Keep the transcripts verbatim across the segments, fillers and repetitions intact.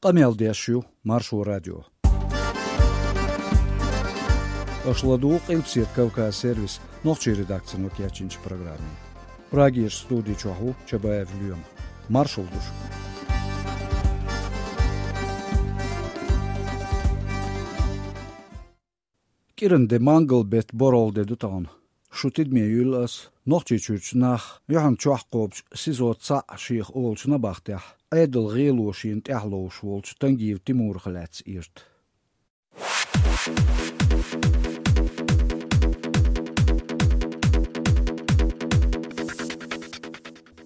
Къамел деш ю Маршо радио. Аша ладугӀу Къилбаседа Кавказ сервисан нохчийн редакцино кечйинчу программе. Прагерчу студи чохь ву Чабаев Лоьма. Маршалла ду шуьга. КӀиранде мангал-беттан боргӀалде ду тахана. Шу тидаме юьллу ас Нохчийчуьрчу нах юьхьанчохь кхобучу СИЗО цхьаъ шех олучу набахтехь, Ӏедалан гӀело шена тӀехь ловш волчу Тангиев Тимурах лаьцна ирта.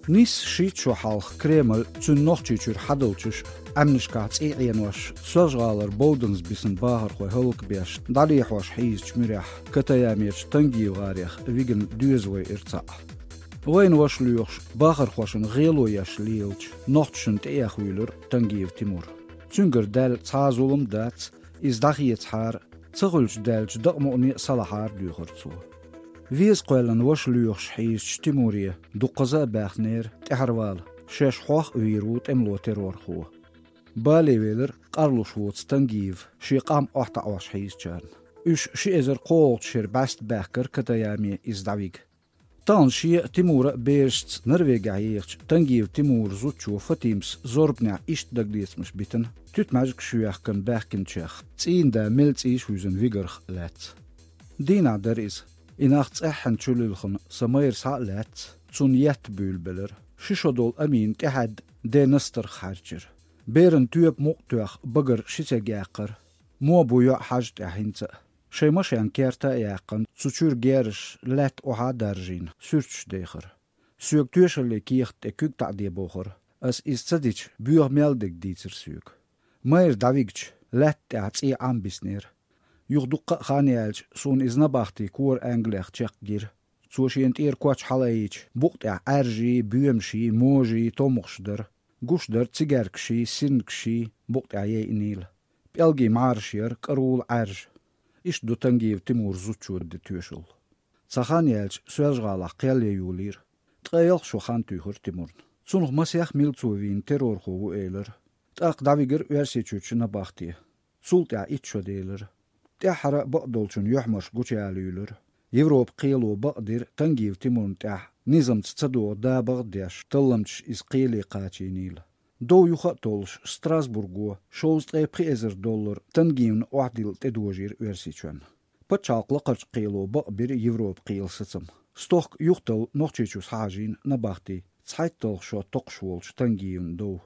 Нийсса шийтта шо хьалха Кремль, цуьнан Нохчийчуьра хьадалчаш, Ӏаьмнашкахь цӀий Ӏенош, Соьлжа-ГӀалара Бовданза бисина бахархой хӀаллакбеш, дӀадехьош хьийзачу муьрехь, Катаямерчу Тангиев-гӀарех вигина доьза вайира цхьаъ. Вайна ваша лоьхуш, бахархошна гӀело еш лелачу нохчашна тӀеэха вуьйлира Тангиев Тимур. Цуьнгара даьлла цхьа а зулам дац, иза дӀахецахьара, ца хуьлуш даьллачу дакъа мукъане а салахьара, дуьйхира цо. Веза кхоьллина ваша лоьхуш хьийзачу Тимуре дуккхаза а баьхнера тӀаьхьарвала, шаьш хьох а вийр ву тӀемало террорхо. Бале велира къарлуш воцу Тангиев шен къам охьатаӀош хьийзачарна. Уьш ши эзар кхоалгӀачу шеран бӀаьста баьхкира Катаяме иза дӀавига. Тахана шен а, Тимуран а берашца Норвегехь ехачу Тангиев Тимуран зудчо Фатимас зорбанехь иштта дагалецамаш битина, туьтмӀаьжгаш йоьхкина баьхкинчех, цӀийнан да мел цӀийш а вуьзна вигарх а лаьцна. Дийнахь дара иза. И нах цӀеххьана чулилхина сан майра схьа а лаьцна, цунна етта буьйлабелира. Ши шо долу Амина тӀаьхьаьдда ден настарх хьаьрчира. Беран тоьпан мукъа тоьхна багара ши церг яьккхира. Мо бу йоӀ хьажа тӀехь хӀинца а. Шайн машен керта а яьккхина, цу чуьра герзаш лаьтта охьа а даржийна, суьрташ дехира. Соьга тоьшаллин кехат тӀе куьг таӀаде бохура. Ас иза ца дича, боьха мел дерг дийцира соьга. Майра дӀавигча, лаьтта тӀехь цӀий Ӏам биснера. Юха дуккха а хан яьлча, суна иза набахти кора Англех чекхгира. Цо шена тӀера коч хьалаайича, букъа тӀехь Ӏаьржий, боьмаший, можий, томхаш дара. Гуш дара цигаьркаший, сирнгаший, букъа тӀехь яйинийла. ПӀелгийн мӀараш яра, кӀарула Ӏаьржа. Иштта ду Тангиев Тимуран зудчо дина тоьшалла. Цхьа хан яьлча, Соьлжа-ГӀалахь кхел ян йолийра. Ткъе ялх шо хан туьйхира Тимурна. Цунах масех мила цо вийна террорхо ву элира. ТӀаккха дӀавигира Оьрсийчуьрчу набахте. Цул тӀаьхьа итт шо делира. ТӀаьххьара а бакъдолчун юьхьмарш гучуялуьйлира. Европан кхело бакъдира Тангиев Тимурна тӀехь низамца ца догӀу да-багӀа деш, талламчаш иза кхеле кхачийнийла. Дов юха а толлуш, Страсбурго шовзткъе пхи эзар доллар Тангиевна охьадилла тӀедожийра Оьрсийчоьнна. Пачхьалкхан лакхарчу кхело бакъбира Европан кхелан сацам. Стохка юхаталла Нохчийчу схьахьажийна набахти цхьайтталгӀа шо токхуш волчу Тангиевн дов.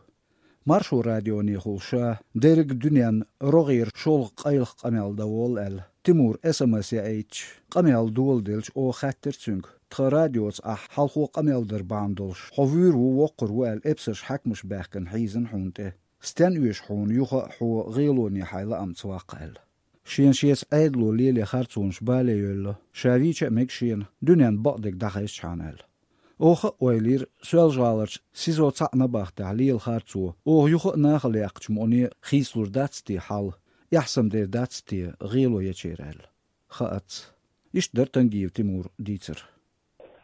Маршо радионехула ша дерриг дуьненна рогӀера шолгӀа къайлаха къамел дан волу аьлла, Тимура эс эм эс яийтича, къамел доладелча, оха хаьттира цуьнга: «Тхан радиоца ахь хьалхо къамел дар бахьана долуш, хьо вуьйр ву, воккхур ву аьлла, эпсарш, хьаькамаш баьхкина хьийзина хьуна тӀе. Стенна оьшу хьуна юха а хьо гӀелоне хьайн лаамца ваккха?» аьлла. Шена шеца Ӏедало лело харцонаш бале йоллу, ша вийча а мега шена, дуьненна бакъдерг дӀахезчхьана аьлла. Оха а ойла йира, Соьлжа-ГӀаларчу СИЗО цхьаъ набахтехь лелахара цо, оха юха а нахала яьккхачу мукъане хийцалур дац те хьал, эхь-сема дер дац те гӀело ечеран аьлла. Хаац. Иштта дара Тангиев Тимура дийцар.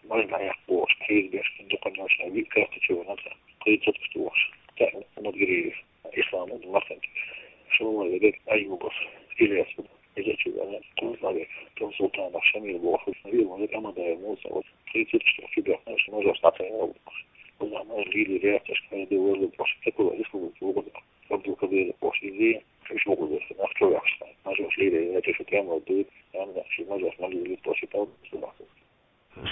Май дӀаяккха бохуш, хьийга беш, дукха нохчий виъ карта чу вара, кхин цуьнца тухуш. ТӀаккха Мадгириев Ислам ву, Мартан. ШолгӀа вегар Аюбов Илес ву, иза чу вара, кхуза вегар Тун Султанов Шамил бохуш, виъ вара Амадаев Муса ву, кхин цуьнца тухуш, чу бехна, ши мажор схьатайна ву. Кхуза мажор лили реакцеш кхайде верлу бохуш, цекула риск ву, ву, Абдулкадиров бохуш, иза, ши шугу ву, нах чу вехаш, мажор лили реакцеш, тема ву, ям, ши мажор лили бохуш, тал,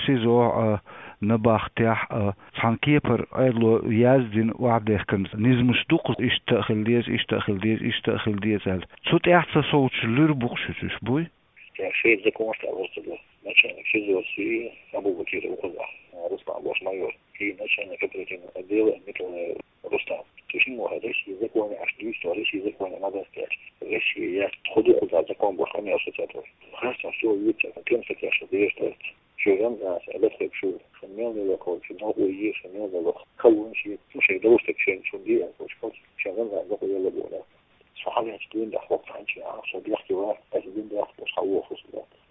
СИЗО а, набахтехь а, цхьана кепара Ӏедало яздина охьадехкина низамаш ду-кх, иштта а хила деза, иштта а хила деза, иштта а хила деза аьлла. Цу тӀехь ца совцуш луьра бу-кх шуьца уьш, буй? Ша шен законаш тӀехь вуьсур ду. Начальник СИЗО-ца Абу-Бакиров ву-кх, Руслан бохуш майор. И начальник оперативного отдела Николаев Рустам. Цу шиннах ву хьо, Россин законе аш дуьйцу, Россин законе ма дац аьлча. Россия яц, тхо ду кхуза закон бохуш, къамел шу ца тхо. Харцо шу вуьйцу, кем ца кеш, деш дац. Шу рамзан, шу латхеб шу, шу мел мел кхочу, шу новкъа йийр, шу мел мел лох. Калун ши, шу шайн довш тек шен, шу ди а кхочу, шу рамзан докъу йолла боху. Шу хьалаьцча дин даха хӀокху хьанчи а, шу бехке вац, аса дин даха, шу хьан воху шу.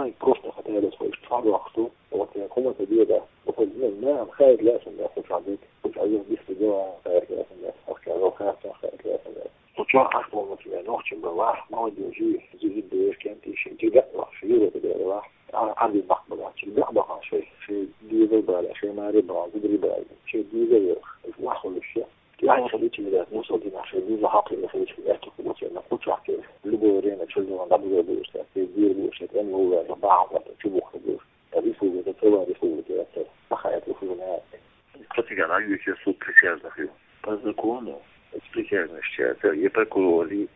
Ай, просто хаталас хойш цхьа дохку, вот я комната деда, вот не знаю, хай для сумда, хоть один, хоть один, без дела, хай для сумда, хоть один, хай для сумда. Хоть аж полностью, я ночью была, молодежи, зиги дверь, кем ты ещё, тебя, вообще, Юра, ты была, а, а, без бак была, тебя, бак, шей, шей, дверь была, шей, мари была, дверь была, шей, дверь была, ваху ещё. Я не хочу тебе дать, ну, что ты наши, не захапли, не хочу тебе, я тут буду тебе, на кучу, а ты в любое время, что ли, надо было бы, что ты дверь будешь, это не было, это баху, это чубух, это будешь. Республика, целая республика, это плохая республика. Протягивает суд присяжных. По закону, с присяжных считается, и прокурор, и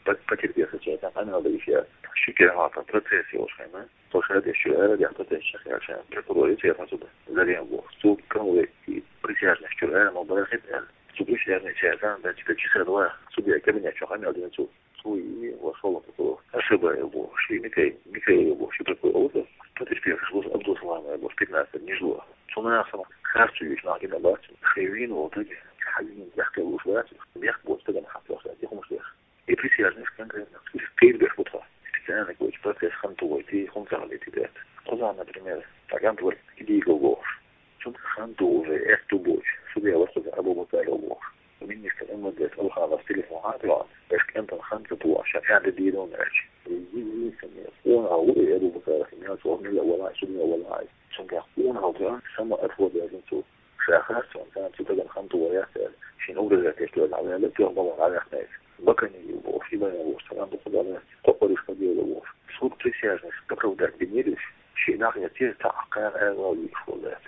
по-, потерпевший считается, а надо еще. Шикер, а, там, процесс его, шайна. Слушай, это еще, э, я процесс сейчас, я сейчас, прокурор, и я отсюда. Зарем его. Суд, кого и присяжных, что, э, ну, барахит, э. Суд присяжных считается, да, типа, часа два. Судья кабинет, что, хамил, один суд. Суи вошёл в эту ошибку, шли Микей, Микей его, что такое, вот, то есть первый шло Абдусалам его, пятнадцать, не шло. Цунахсам, харцу весь на гина бат, шевин, вот эти, хавин, яхка луш бат, бех бот, тогда на хапла, я хумуш бех. И присяжных конкретно, перед бех бутха. Специально какой-то процесс хантовой, ты хумцам летит. Куда, например, так, Антвор, иди его. Чун хан тоже, эх, ту боч. Судья восходит Абу Бакар Аллах. Министр МВД Алханов телефон отвел. Эш кентон хан ту боч. Шафян де дидон эш. Единственное, он Аллах и Абу Бакар, меня чур не валай, судья валай. Чун как он Аллах, сама отвод я зинцу. Шахар, чун сан цу таган хан ту ваясел. Шин угрыза тесту на валай, ту валай, валай. Бакани его, шибая его, салам Бухудале, копариш подел его. Суд присяжных, оправдать Бенедиш, шинах я те та акан эвал вишвалет.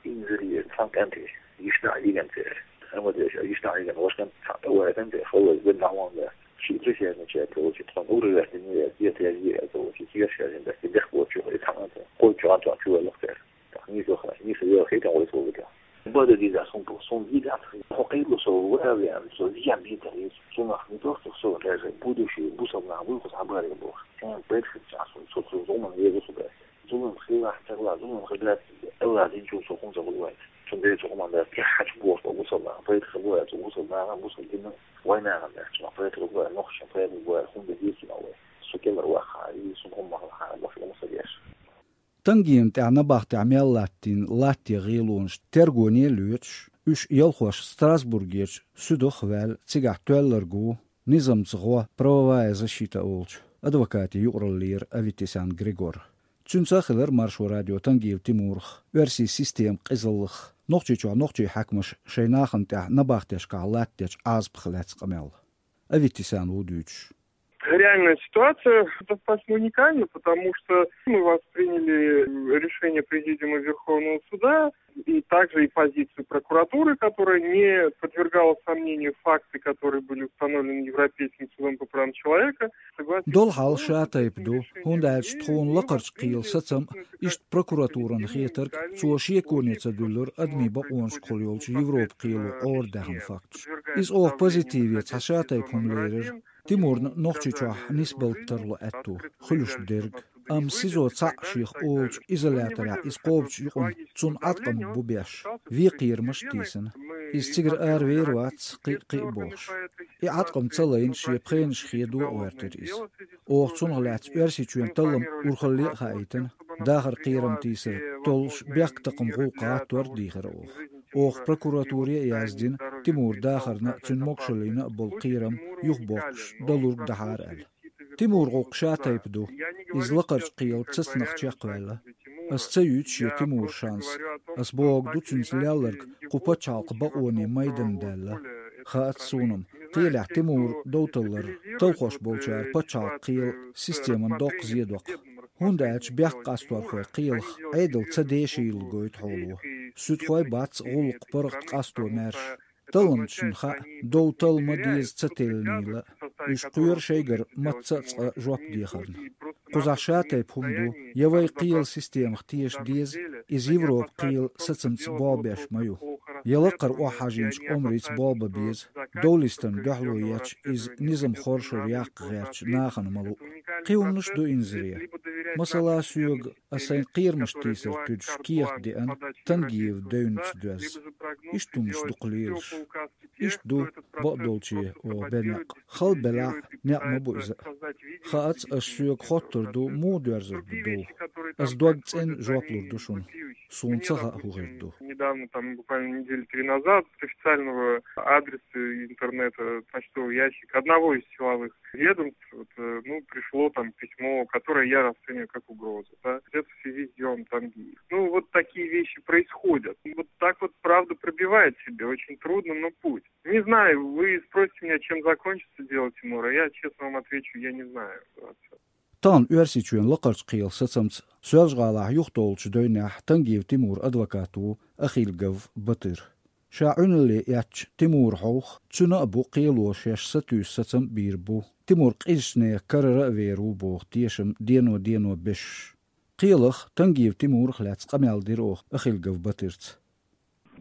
Инзире, цхьан кӀанте, йиша-нана йиган цӀе. Амма деша, йиша-нана йиган, вашкан цхьа тӀа ваьгӀан цӀе, хала вай бен нахьван да. Ши присяжный чай, короче, тхан ура ваьгӀан, не ваьгӀан, дед ваьгӀан, короче, цигар шаьжин да, бехк бочу, и цхьан цӀе. Кой чугӀан чугӀан чу ваьллах цӀе. Так, не зоха, не савел хетан вай слово да. Бада диза сум по, сум вида, хо кайду со ваьгӀан, со зиян битар, сумах не просто всё, даже будущее, бусал на выход, а баре бог. Тем больше часу, со, со, зуман, езу сюда. Зулам хила, хила, зулам хила, Аллах дин чул сокун за вулвай. Чун бе чукуман да, ки хач бос, бо гусал да, поэт хабуя, чу гусал да, гусал дин, война да, чу поэт хабуя, нохча поэт хабуя, хун да дирки на вай. Сукемар ваха, и сукум маха, бо филм сагеш. Тангиеван тӀехь набахтехь мел латтийна латтий гӀийлонаш тергоне а лоьцуш, уьш ялхош Страсбургерчу суьдах а ваьлла, цигахь тоьлларг ву низамца гӀо, правовая защита олучу адвокатийн юкъараллера Аветисян Григор. Цуьнца а хилира Маршо радио Тангиев Тимурах, оьрсийн системан къизаллах, Нохчийчохь нохчийн хьаькамаша шайн нахана тӀехь набахтешкахь латтадечу Ӏазапах лаьцна къамел. Аветисян ву дуьйцуш. Реальная ситуация достаточно уникальна, потому что мы восприняли решение Президиума Верховного Суда и также и позицию прокуратуры, которая не подвергала сомнению факты, которые были установлены Европейским судом по правам человека. Долу хьал ша тайпа ду, хӀунда аьлча тхуна лакхарчу кхелан сацам, иштта прокуратуран хетарг, цо шеконе ца дуьллура адамийн бакъонашкахула йолчу Европан кхело Ӏора даьхна факташ. Иза оха позитиве цхьа ша тайпа хӀума лерира, Тимурна Нохчийчохь нисбалта тарло аьтту, хуьлуш дерг. Амма СИЗО цхьаъ шех олучу изоляторехь иза кхобучу юкъана цунна Ӏаткъам бу беш, вен кхерамаш а тийсина. Иза цигара ара вер вац, кхин а, кхин а бохуш. И Ӏаткъам ца лайна шен пхенаш хедо а гӀоьртира иза. Оха цунах лаьцна Оьрсийчоьнан таллам урхалле а хаийтина, дахар кхерам тийсар толлуш бехктакхаман гӀуллакх гӀаттор а дийхира оха. Оха прокуратуре а яздина, Тимур дахарна а, цуьнан могушаллина а болу кхерам юхабоккхуш далург дахьара аьлла. Тимур гӀуллакх ша тайпа ду. Иза лакхарчу кхелан цацанах чекхваьлла. Ас ца юьйцу шен Тимуран шанс. Ас бохург ду цуьнца лелларг кху пачхьалкхан бакъонийн майдан даьлла. Хаьа-кх суна-м, кхелехь Тимур довталлар талхош болчара пачхьалкхан кхелан системан доккха зен доккху. ХӀунда аьлча бехк къасторхой кхелах Ӏедал ца дешийла гойту хьоло. Суьдхой бац гӀуллакх паргӀат къасто маьрша. Талламчашна хаьа, дов талла ма деза ца теллинийла а. Уьш кхоьру шайгара мацца а цкъа жоп дехарна. Кхузахь ша тайпа хӀума ду, я вай кхелан системах теша деза, иза Европан кхелан сацамца болх беш ма ю. Я лакхара охьахьажийначу омрица болх бан беза, довлистана дуьхьало еча, иза низам хоршура яккха гӀертачу нахана ма луъу. Кхин хӀуманаш а ду инзаре. Масала, соьга ас сайн кхерамаш тийсар туьдуш кехат деана, Тангиев девнца доьзна. Иштта хӀуманаш дукха лелаш. Иштта ду бакъдолче оха бен некъ. Хала белахь, некъ ма бу иза. Хаац, аш соьга хоттур ду, муха доьрзур ду дов. Ас дог цӀена жоп лур ду шуна. Суна ца хаьа, хӀун хир ду. Недавно, там, буквально недели три назад, с официального адреса интернета, почтовый ящик одного из силовых ведомств, вот, э, ну, пришло там письмо, которое я расцениваю как угрозу, да. Это в связи с делом Тангиев. Ну, вот такие вещи происходят. Вот так вот правду пробивает себе, очень трудно, но путь. Не знаю, вы спросите меня, чем закончится дело Тимура, я честно вам отвечу, я не знаю. Вот. Тахана Оьрсийчоьнан Лакхарчу кхелах сацамца Соьлжа-ГӀалахь юхатоллучу дойнехь Тангиев Тимуран адвокат ву Ахильгов Батыр. Ша Ӏуьналле эцначу Тимура хьовха, цуьнан а бу кхело шаьш сатуьйсу сацам а бийр бу. Тимур къизачу нехан карара а вер ву боху тешам дено-дено беш. Кхелах Тангиев Тимурах лаьцна къамел дира оха Ахильгов Батырца.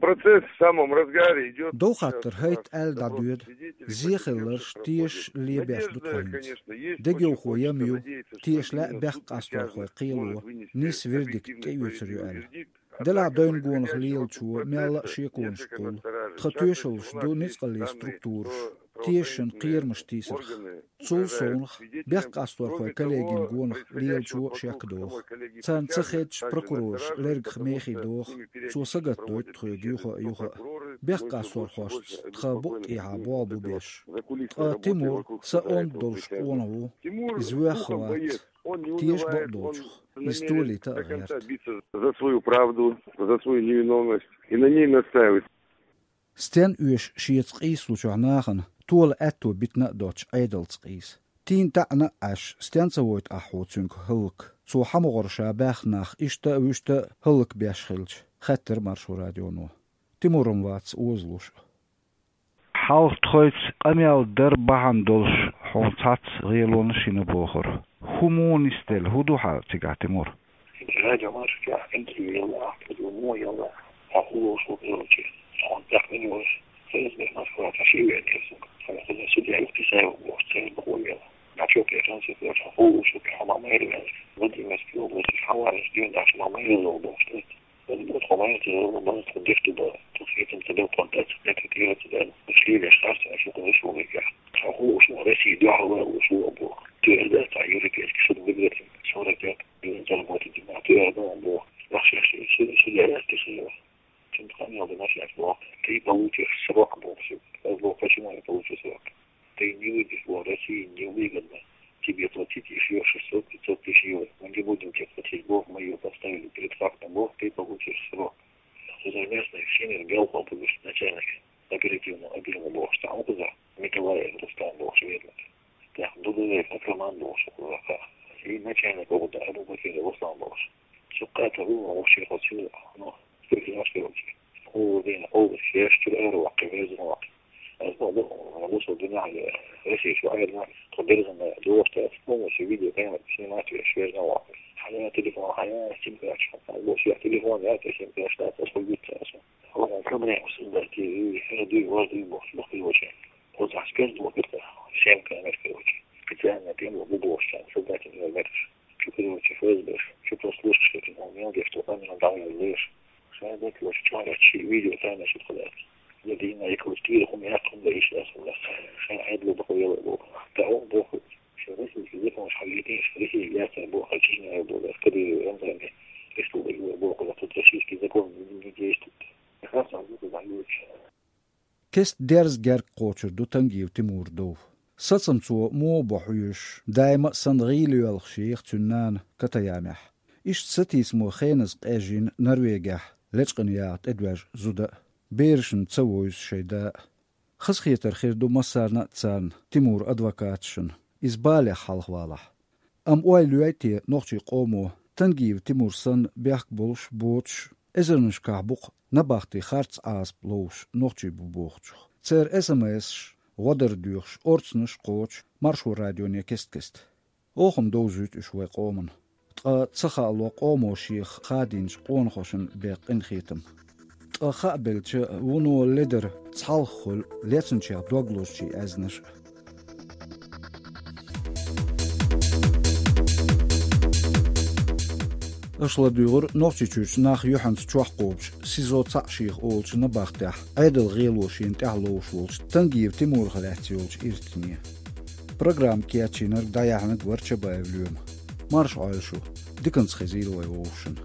Процесс в самом разгаре идёт. Дов хаттар хӀайт аьлла дӀадоьду. Зе хилларш тешаш лебеш ду тхо хӀинца. Дегайовхо ям ю, теша лаьа бехккъасторхойн кхело нийса вердикт тӀеоьцур ю аьлла. Делахь дойн гонах лелачо мелла а шеконаш кхуллу. Тхан тоьшаллаш ду ницкъаллин структураш тешашна кхерамаш тийсарх. Цул совнаха, бехккъасторхойн коллегин гонах лелачо а шек доху. Царна ца хедча, прокурораш лергах мехий доху, цо сагатдойту тхоьга юха а, юха а. Бехккъасторхошца тхан букъ тӀехьа болх бу беш. Ткъа Тимур са онда долуш къонах ву, иза воьхна вац. Теша бакъдолчух, иза толийта а гӀерта. За свою правду, за свою невиновность и на ней настаивать. Стен оьшу шеца къийсалучохь нахана тола аьтто битина а доцуш Ӏедалца къийса. Тийна таьӀна а Ӏаш, стен ца войту ахь хьо цуьнга хӀаллак? Цо хьан могӀара ша баьхна нах иштта а, вуьшта а хӀаллакбеш хилча, хаьттира Маршо радионо. Тимур-м вац озалуш а. Хьалха тхоьца къамел дар бахьана долуш хьуна цхьацца гӀелонаш йина бохура. ХӀун муха нисделла, хӀун ду хьан цигахь, Тимур? Радио Маршо чохь интервью елла ахь, кхуза муха елла, хьо хӀун лоруш ву кхероче? Хьуна тӀаккха мила вара? Хеза бен Москва, цхьа ши вен кхерсунга. Хьуна кхуза судья Юхтисаев бохуш, церан бакъо елла. Начо кхеран ца кхерча, хьо хӀун лоруш ву, хьо ма майра ваьлла. Владимирский область, хьо вараш дуьйна ахча ма майра ловла бохуш, тӀе. Аса боху, тхо майра ца ловла, база тхо деш ду бара. Тхо хетам ца бел кхунтац, тӀе тӀе тӀера ца даьлла. Уьш лелеш харц, аша кхуза шу векъяхь. Хьо хӀун лоруш ву, Россия дуьхьал ван лоруш ву боху. ТӀера дац, цхьа юридически суд выиграть, сорок лет. Юридически суд, тӀера дан боху. Нах шаьш, шу, шу лелаьцна хилла. Цуьнан къамел дан шаьш боху. Ты получишь срок боху шуьга. Аса боху, почему я получу срок? Ты не выйдешь, боху, России невыгодно тебе платить ещё шестьсот-пятьсот тысяч евро. Мы не будем тебе платить, боху, мы её поставили перед фактом, боху, ты получишь срок. Кхузара местный Всемир Белхов бу беш начальник оперативного отдела бохуш цхьа ву кхузара, Николаев Рустам бохуш ведомый. ТӀаккха Дудуев Акраман бохуш ву кхузара кхаъ. И начальник ву кхузара Абу-Бакир Руслан бохуш. Цу кхаъ тӀе ву вовшийн хьо цуьнан, ну, спецопераци. Хьо ву дийна, хьо ву шаьш чуьра ара ваккхи, веза ваккхи. Аса боху, бусалба динехь а, Россия чохь а, тхо берзана догӀуш дац, полностью видеокамера снимать веш, веза ваккхи. Хьан телефон, хьан сим-карташ, хьан боху, шен телефон яц, сим-карташ дац, аса хӀун вуьйцу аса. Хьо проблема сан дац, и хӀара дуй, важ дуй бохуш, боху, короче. Оцу ахь спецблок это, семь камер, короче. Специально тем бу бохуш, солдатин камераш. Чу, короче, ФСБ, чу прослушка, что он мел, где что там, он там, он лишь. Шайн декъалаш чохь а чи видео тайна шуьга хилаьцна. Я дийна, я калаш кийра хӀума яьккха хӀума дан йиш яц хӀума. Шайн Ӏедало бакъо елла боху. Тахана боху, шайн российский закон, шайн летиш, Россия яцара боху, а Чечня боху, Кадыров, Рамзан, республика боху, тут российский закон не действует. Яхаш сан боху, дан йоч. Кеста дерза герга кхочур ду Тангиев Тимура дов. Сацам цо муха бо хьоьжуш, даима а санна гӀийла йоьлхуш еха цуьнан нана Катаямехь. Иштта сатийсамо хеназа къежйина Норвегехь лечкъина яха тӀедоьжна зуда а, берашна ца вевза шайн да а. Хазахетар хир ду массарна а царна Тимуран адвокаташна, иза балех хьалхавалахь. Амма ойла йой те нохчийн къомо, Тангиев Тимур санна бехк болуш, боцуш, эзарнашкахь бу-кх набахти харц Ӏазап ловзуш нохчий бу бохучух? Церан эс-эм-эсаш, гӀо дар доьхуш, орцанаш а кхочу Маршо радионе кест-кеста. Оха-м довзуьйту уьш вайн къомана. Ткъа ца хаало къомо шех хадийначу къонахошна бен къинхетам. Ткъа хаа белча, вуно ледара цхьалха хуьлу лецначех дог лозучийн аьзнаш а. Аша ладугӀур Нохчийчуьрчу нах юьхьанца чохь кхобуш, СИЗО цхьаъ шеха олучу набахтехь, Ӏедал гӀело шена тӀехь ловш волчу Тангиев Тимурах лаьцна йолчу иртане. Программа кечйинарг дӀаяьхьнарг вара Чабаев Лоьма. Марша Ӏойла шу, диканца хезийла вай вовшашна.